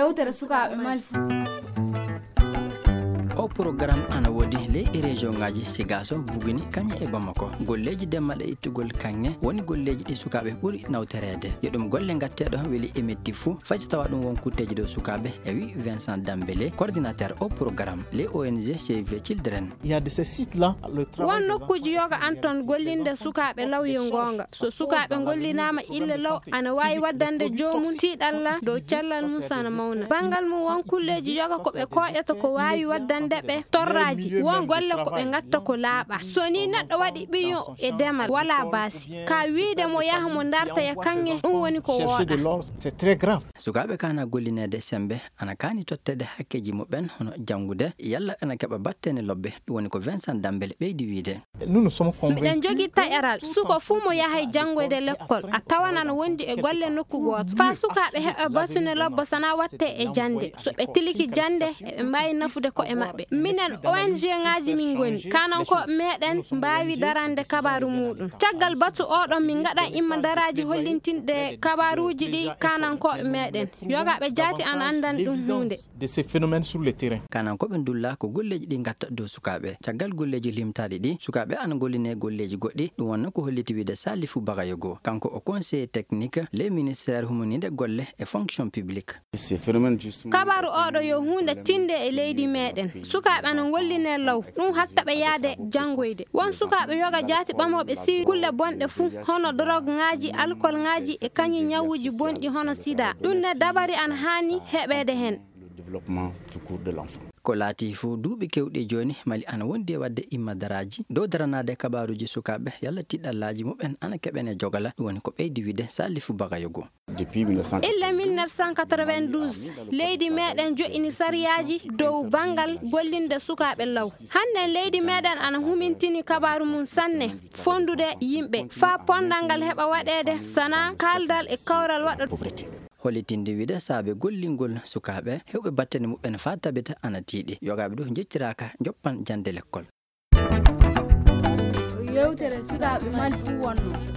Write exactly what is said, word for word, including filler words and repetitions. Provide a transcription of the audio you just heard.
Yewtere sukaaɓe Mali. O programme ana woodi ley e région ŋaaji Sigaso, Buguni, Kaŋŋe e Bamako. Golleeji demmal e ittugol kaŋŋe woni golleeji ɗi sukaaɓe ɓuri nawtoreede. Yo ɗum golle ngatteeɗo weli e metti fuu, fay so tawa ɗum won kutteeji dow sukaaɓe, e wi Vincent Dambélé, coordinateur o programme ley O N G Save Children. Won nokkuuji yoga an ton gollinde sukaaɓe law yo goonga. So sukaaɓe ngollinaama ille law, ana waawi waddande joomum tiiɗalla dow cellal mum sana mawna. Banngal mum won kulleeji yoga ko ɓe kooƴata ko waawi waddande ɓe torraaji. Won golle ko ɓe ngatta ko laaɓa. So ni neɗɗo waɗi ɓiyon e demal, wala baasi. Ka wiide mo yaha mo darta ya kaŋŋe, ɗum woni ko wooɗa. Sukaaɓe kana gollineede sembe, ana kaani totteede hakkeeji muɓɓen hono janngude, yalla ana keɓa battene lobbe, ɗum woni ko Vincent Dambélé ɓeydi wiide. Miɗen jogi taƴaral, suko fuu mo yahay janngoyde lekkol, a tawan ana wondi e golle nokku gooto. Faa sukaaɓe heɓa battene lobbo sana watte e jannde. So ɓe tiliki jannde, eɓe mbaawi nafude ko'e maɓɓe. Minen O N G ŋaaji min ngoni, kanankooɓe meɗen mbaawi darande kabaaru muuɗum. Caggal batu oɗon min ngaɗan imma daraaji hollintinɗe kabaaruuji ɗi kanankooɓe meɗen. Yogaaɓe jaati ana anndan ɗum huunde. De ces phénomènes sur le terrain. Kanankooɓe ndulla ko golleeji ɗi ngatta dow sukaaɓe. Caggal golleeji limtaaɗi ɗi, sukaaɓe ana golline golleeji goɗɗi. Ɗum wonno ko holliti wiide Salifu Bagayogo. Kanko o conseiller technique ley ministère humaniinde golle e fonction publique. Kabaaru oɗo yo huunde tinde e leydi meɗen. Sukaaɓe ana ngolline law. Ɗum hakka ɓe yaade janngoyde. Won sukaaɓe yoga jaati ɓamooɓe si kulle bonɗe fuu, hono dorog ŋaaji, alkol ŋaaji e kañi ñawuuji bonɗi hono sida. Ɗum ne dabari ana haani heɓeede heen. Ko laati fof duuɓi kewɗi jooni, Mali ana wondi e waɗde imma daraaji dow daranaade kabaaruuji sukaaɓe, yalla tiɗɗallaaji muɓɓen ana keɓene jogala, ɗum woni ko ɓeydi wiide Salifu Bagayogo. Illa mille neuf cent quatre-vingt-douze, leydi meɗen joƴƴini sariyaaji dow banngal gollinde sukaaɓe law. Hannden leydi meɗen ana humintini kabaaru mum sanne, fonndude yimɓe, faa ponndal ngal heɓa waɗeede, sana kaaldal e kawral waɗa. Hollitinde wiide saabe gollingol sukaaɓe hewɓe battane muɓɓen faa tabita ana tiiɗi. Yogaaɓe ɗo njettiraaka njoppan jannde lekkol. Yewtere sukaaɓe Mali fuu wonno.